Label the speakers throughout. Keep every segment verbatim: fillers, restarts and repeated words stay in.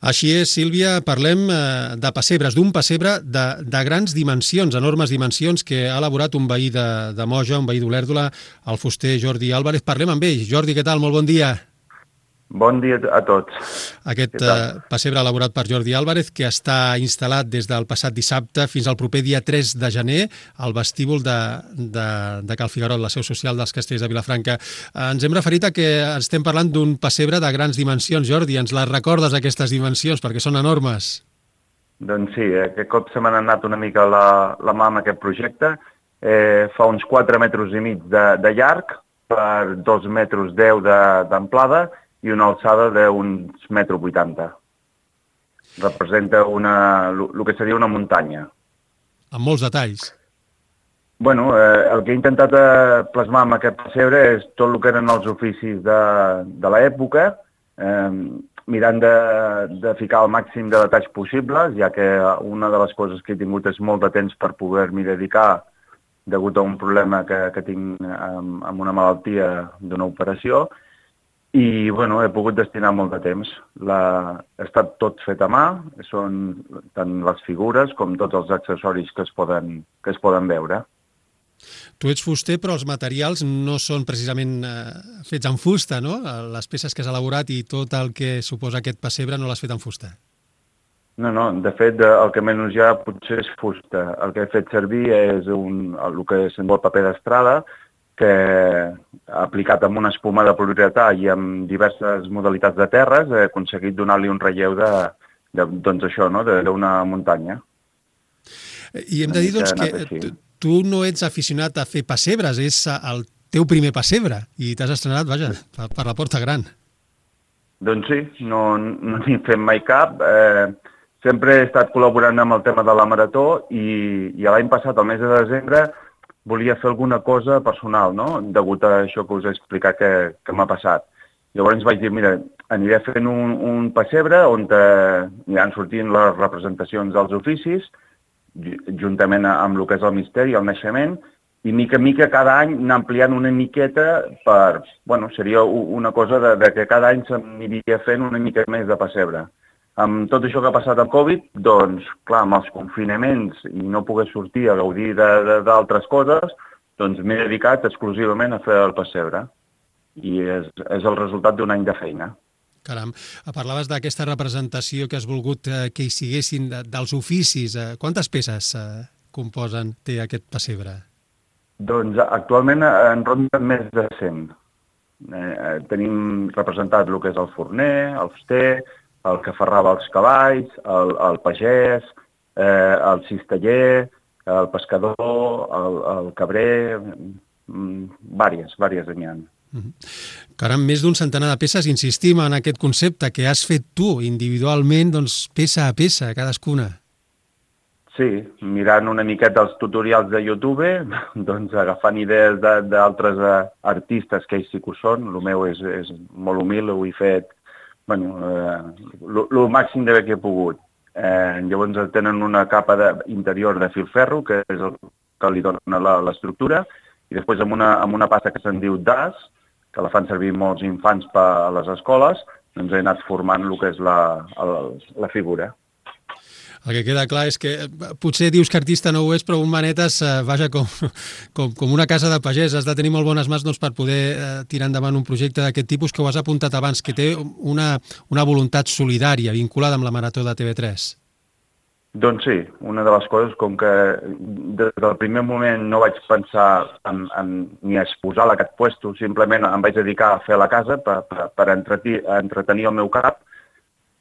Speaker 1: Així és, Sílvia, parlem eh, de pessebres, d'un pessebre de, de grans dimensions, enormes dimensions, que ha elaborat un veí de, de Moja, un veí d'Olèrdola, el fuster Jordi Álvarez. Parlem amb ell. Jordi, què tal? Molt bon dia.
Speaker 2: Bon dia a tots.
Speaker 1: Aquest
Speaker 2: Què tal?
Speaker 1: eh, pessebre elaborat per Jordi Álvarez, que està instal·lat des del passat dissabte fins al proper dia tres de gener al vestíbul de, de, de Cal Figuerot, la seu social dels Castells de Vilafranca. Eh, ens hem referit a que estem parlant d'un pessebre de grans dimensions. Jordi, ens les recordes, aquestes dimensions, perquè són enormes?
Speaker 2: Doncs sí, aquest cop se m'ha anat una mica la, la mà amb aquest projecte. Eh, fa uns quatre metres i mig de, de llarg per dos metres deu d'amplada i una alçada d'uns metro vuitanta. Representa una, el que seria una muntanya.
Speaker 1: Amb molts detalls.
Speaker 2: Bueno, eh, el que he intentat eh, plasmar amb aquest pessebre és tot el que eren els oficis de, de l'època, eh, mirant de, de ficar el màxim de detalls possibles, ja que una de les coses que he tingut és molt de temps per poder-m'hi dedicar degut a un problema que, que tinc amb, amb una malaltia d'una operació. I, bueno, he pogut destinar molt de temps. La... Ha estat tot fet a mà, són tant les figures com tots els accessoris que es poden, que es poden veure.
Speaker 1: Tu ets fuster, però els materials no són precisament eh, fets en fusta, no? Les peces que has elaborat i tot el que suposa aquest pessebre no l'has fet en fusta.
Speaker 2: No, no, de fet, el que menys ja potser és fusta. El que he fet servir és un, el que se'n diu paper d'estrada, que aplicat amb una espuma de poliuretà i amb diverses modalitats de terres he aconseguit donar-li un relleu de, de, doncs això, no?, d'una muntanya.
Speaker 1: I hem de dir, doncs, que tu no ets aficionat a fer pessebres, és el teu primer pessebre i t'has estrenat, vaja, per la porta gran.
Speaker 2: Doncs sí, no n'hi fem mai cap. Eh, sempre he estat col·laborant amb el tema de la marató i, i l'any passat, al mes de desembre, volia fer alguna cosa personal, no?, degut a això que us he explicat que, que m'ha passat. Llavors vaig dir, mira, aniré fent un, un pessebre on eh, aniran sortint les representacions dels oficis, juntament amb el que és el misteri, el naixement, i mica en mica cada any anar ampliant una miqueta per... Bueno, seria una cosa de, de que cada any s'aniria fent una mica més de pessebre. Amb tot això que ha passat amb Covid, doncs, clar, amb els confinaments i no poder sortir a gaudir d'altres coses, doncs m'he dedicat exclusivament a fer el pessebre. I és, és el resultat d'un any de feina.
Speaker 1: Caram, parlaves d'aquesta representació que has volgut eh, que hi siguessin de, dels oficis. Eh, quantes peces eh, composen, té aquest pessebre?
Speaker 2: Doncs actualment en ronda més de cent. Eh, tenim representat el que és el forner, el fuster, el que ferrava els cavalls, el, el pagès, eh, el cisteller, el pescador, el, el cabrer, vàries, vàries n'hi ha.
Speaker 1: Caram, més d'un centenar de peces, insistim en aquest concepte que has fet tu individualment, doncs peça a peça, cadascuna.
Speaker 2: Sí, mirant una miqueta els tutorials de YouTube, doncs agafant idees d'altres artistes que ells sí que ho són, el meu és, és molt humil, ho he fet bueno, el eh, màxim de bé que he pogut. Eh, llavors tenen una capa de, interior de filferro, que és el que li dona l'estructura, i després amb una, amb una pasta que se'n diu D A S, que la fan servir molts infants per a les escoles, doncs he anat formant el que és la, la, la figura.
Speaker 1: El que queda clar és que potser dius que artista no ho és, però un manetes, eh, vaja, com, com, com una casa de pagès. Has de tenir molt bones mans doncs, per poder eh, tirar endavant un projecte d'aquest tipus que ho has apuntat abans, que té una, una voluntat solidària vinculada amb la Marató de T V tres.
Speaker 2: Doncs sí, una de les coses, com que des del primer moment no vaig pensar en, en, ni a exposar aquest puesto, simplement em vaig dedicar a fer la casa per, per, per entretenir, entretenir el meu cap.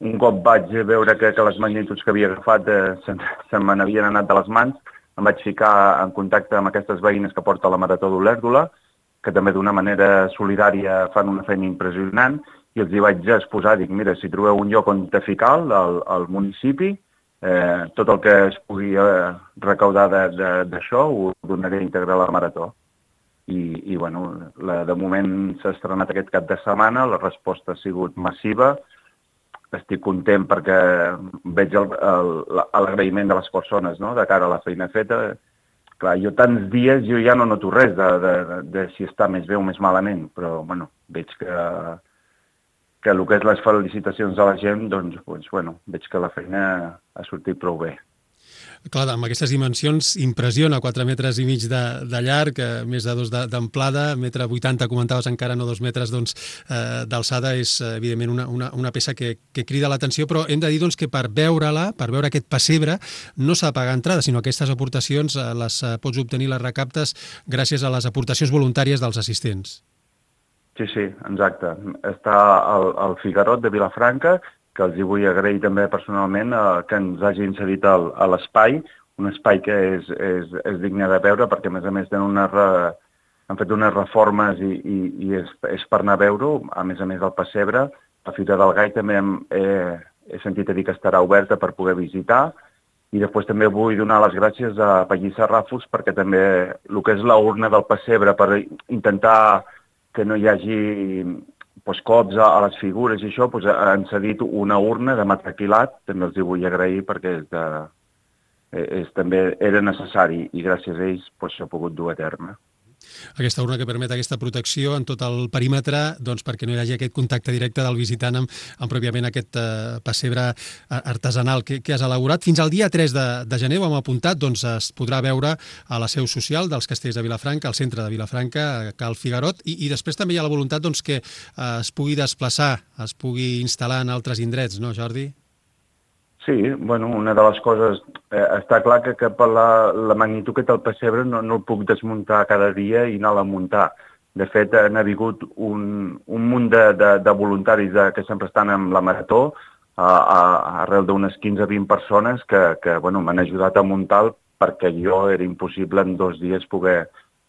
Speaker 2: Un cop vaig veure que, que les magnituds que havia agafat eh, se, se me n'havien anat de les mans, em vaig ficar en contacte amb aquestes veïnes que porta la Marató d'Olèrdola, que també d'una manera solidària fan una feina impressionant, i els hi vaig exposar, dic, mira, si trobeu un lloc on te ficar al, al municipi, eh, tot el que es pugui eh, recaudar d'això ho donaré íntegre a la Marató. I, i bueno, la, de moment s'ha estrenat aquest cap de setmana, la resposta ha sigut massiva. Estic content perquè veig l'agraïment de les persones, no?, de cara a la feina feta. Clar, jo tants dies jo ja no noto res de, de, de si està més bé o més malament, però bueno, veig que, que el que és les felicitacions de la gent, doncs, doncs bueno, veig que la feina ha sortit prou bé.
Speaker 1: Clar, amb aquestes dimensions impressiona, quatre metres i mig de, de llarg, eh, més de dos d'amplada, metre vuitanta, comentaves encara, no dos metres doncs, eh, d'alçada, és evidentment una, una, una peça que, que crida l'atenció, però hem de dir doncs, que per veure-la, per veure aquest pessebre, no s'ha de pagar entrada, sinó aquestes aportacions eh, les eh, pots obtenir, les recaptes, gràcies a les aportacions voluntàries dels assistents.
Speaker 2: Sí, sí, exacte. Està al, al Figarot de Vilafranca, que els hi vull agrair també personalment eh, que ens hagin cedit al, a l'espai, un espai que és, és, és digne de veure, perquè a més a més una re, han fet unes reformes i, i, i és, és per anar a veure-ho, a més a més del pessebre. La Fira del Gai també hem, he, he sentit a dir que estarà oberta per poder visitar, i després també vull donar les gràcies a Pallissa Ràfols, perquè també el que és la urna del pessebre, per intentar que no hi hagi pues, cops a, a les figures i això, pues, han cedit una urna de matraquilat, també els hi vull agrair perquè és de, és, també era necessari i gràcies a ells pues, s'ha pogut dur a terme.
Speaker 1: Aquesta urna que permet aquesta protecció en tot el perímetre doncs, perquè no hi hagi aquest contacte directe del visitant amb, amb pròpiament aquest eh, pessebre artesanal que, que has elaborat. Fins al dia tres de, de gener, ho hem apuntat, doncs, es podrà veure a la seu social dels Castells de Vilafranca, al centre de Vilafranca, a Cal Figarot, i, i després també hi ha la voluntat doncs, que eh, es pugui desplaçar, es pugui instal·lar en altres indrets, no, Jordi?
Speaker 2: Sí, bueno, una de les coses, eh, està clar que, que per la, la magnitud que té el pessebre no, no el puc desmuntar cada dia i anar-la a muntar. De fet, n'ha vingut un, un munt de, de, de voluntaris de, que sempre estan amb la marató, a, a, arrel d'unes quinze a vint persones que, que bueno, m'han ajudat a muntar perquè jo era impossible en dos dies poder,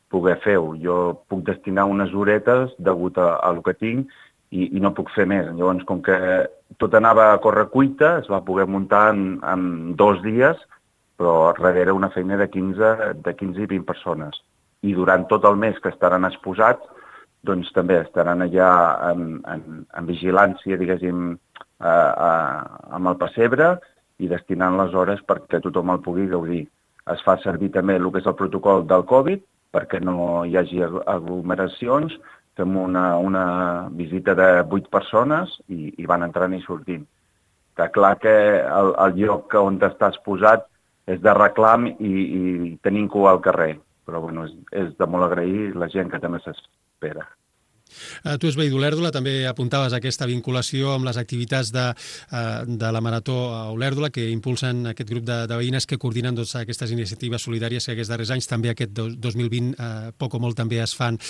Speaker 2: poder fer-ho. Jo puc destinar unes horetes degut a, a el que tinc i, i no puc fer més. Llavors, com que tot anava a correcuita, es va poder muntar en, en dos dies, però darrere una feina de quinze, de quinze i vint persones. I durant tot el mes que estaran exposats, doncs també estaran allà en, en, en vigilància, diguéssim, a, a, amb el pessebre i destinant les hores perquè tothom el pugui gaudir. Es fa servir també el que és el protocol del Covid perquè no hi hagi aglomeracions. Fem una, una visita de vuit persones i, i van entrant i sortint. Està clar que el, el lloc on està exposat és de reclam i, i tenim cua al carrer, però bueno, és, és de molt agrair la gent que també s'espera.
Speaker 1: Uh, tu ets veí d'Olèrdola, també apuntaves aquesta vinculació amb les activitats de, uh, de la Marató a Olèrdola, que impulsen aquest grup de, de veïnes que coordinen doncs, aquestes iniciatives solidàries que aquests darrers anys, també aquest dos mil vint, uh, poc o molt també es fan.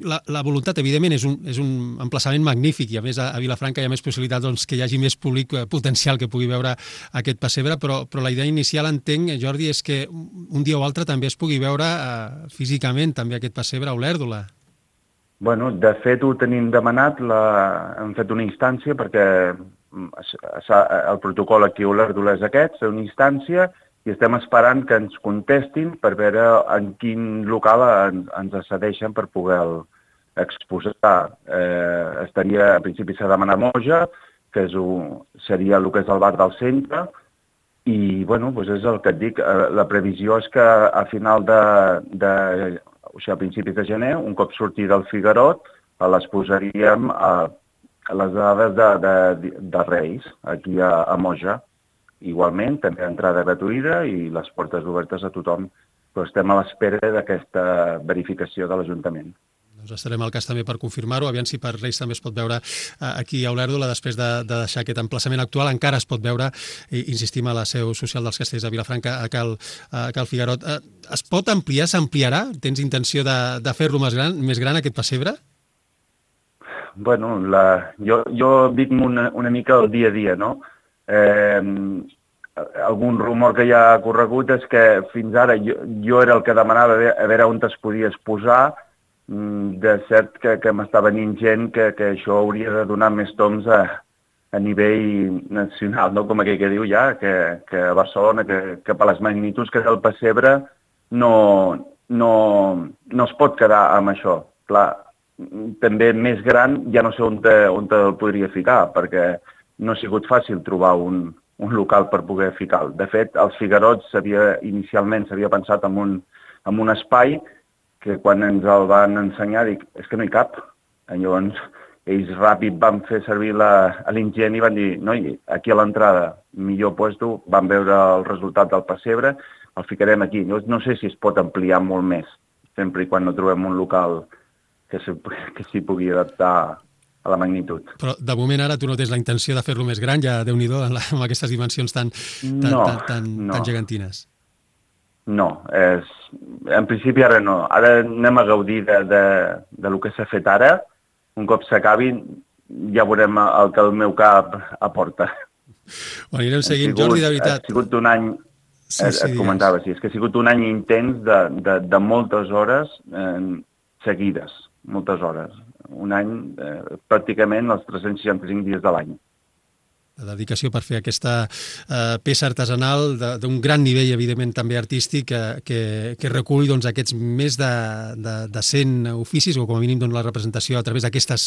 Speaker 1: La, la voluntat, evidentment, és un, és un emplaçament magnífic i a més a, a Vilafranca hi ha més possibilitat doncs, que hi hagi més públic uh, potencial que pugui veure aquest pessebre, però, però la idea inicial, entenc, Jordi, és que un dia o altre també es pugui veure uh, físicament també aquest pessebre a Olèrdola.
Speaker 2: Bueno, de fet ho tenim demanat, la... hem fet una instància perquè el protocol aquí a Olèrdola és aquest, és una instància i estem esperant que ens contestin per veure en quin local ens, ens accedeixen per poder exposar. Eh, estaria, a principi s'ha demanat Moja, que és un, seria el que és el bar del centre, i bueno, doncs és el que et dic, la previsió és que a final de... de o sigui, a principis de gener, un cop sortir del Figarot, les posaríem a, a les dades de, de, de Reis, aquí a, a Moja. Igualment, també entrada gratuïta i les portes obertes a tothom, però estem a l'espera d'aquesta verificació de l'Ajuntament.
Speaker 1: Doncs estarem al cas també per confirmar-ho, aviam si per Reis també es pot veure aquí a Olèrdola, després de, de deixar aquest emplaçament actual, encara es pot veure, i insistim, a la seu social dels Castells de Vilafranca, a Cal, a Cal Figarot. Es pot ampliar, s'ampliarà? Tens intenció de, de fer-lo més gran, més gran aquest pessebre?
Speaker 2: Bueno, la, jo, jo dic una, una mica el dia a dia, no? Eh, algun rumor que hi ha corregut és que fins ara jo, jo era el que demanava a veure on es podia exposar. De cert que, que m'està venint gent que, que això hauria de donar més toms a, a nivell nacional, no? Com aquell que diu ja, que, que a Barcelona, que, que per les magnituds que és el pessebre, no, no, no es pot quedar amb això. Clar, també més gran ja no sé on, te, on te el podria ficar, perquè no ha sigut fàcil trobar un, un local per poder ficar. De fet, als Figarots inicialment s'havia pensat en un, en un espai que quan ens el van ensenyar dic, és que no hi cap. Llavors ells ràpid van fer servir l'ingent i van dir, noi, aquí a l'entrada, millor puesto, van veure el resultat del pessebre, el ficarem aquí. Jo no sé si es pot ampliar molt més, sempre i quan no trobem un local que s'hi pugui adaptar a la magnitud.
Speaker 1: Però de moment ara tu no tens la intenció de fer-lo més gran, ja Déu-n'hi-do, amb aquestes dimensions tan, tan,
Speaker 2: no,
Speaker 1: tan, tan,
Speaker 2: no.
Speaker 1: tan gegantines.
Speaker 2: No, és, en principi ara no. Ara anem a gaudir de, de, de lo que s'ha fet ara. Un cop s'acabi ja veurem el que el meu cap aporta.
Speaker 1: Ho anirem seguint, sigut, Jordi, de veritat.
Speaker 2: Ha sigut un any, sí, sí, et comentava, sí, és que ha sigut un any intens de, de, de moltes hores eh, seguides, moltes hores. Un any, eh, pràcticament els tres-cents seixanta-cinc dies de l'any.
Speaker 1: La dedicació per fer aquesta eh, peça artesanal d'un gran nivell, evidentment, també artístic, que, que, que recull doncs, aquests més de, de, de cent oficis, o com a mínim doncs, la representació a través d'aquestes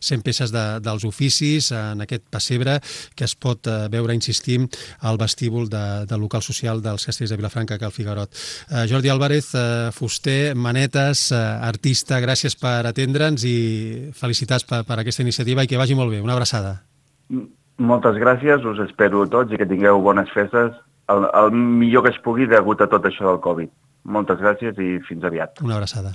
Speaker 1: cent peces de, dels oficis en aquest pessebre que es pot eh, veure, insistim, al vestíbul de, del local social dels Castells de Vilafranca, Cal Figuerot. Eh, Jordi Álvarez, eh, fuster, manetes, eh, artista, gràcies per atendre'ns i felicitats per, per aquesta iniciativa i que vagi molt bé. Una abraçada.
Speaker 2: Mm. Moltes gràcies, us espero a tots i que tingueu bones festes, el, el millor que es pugui degut a tot això del Covid. Moltes gràcies i fins aviat.
Speaker 1: Una abraçada.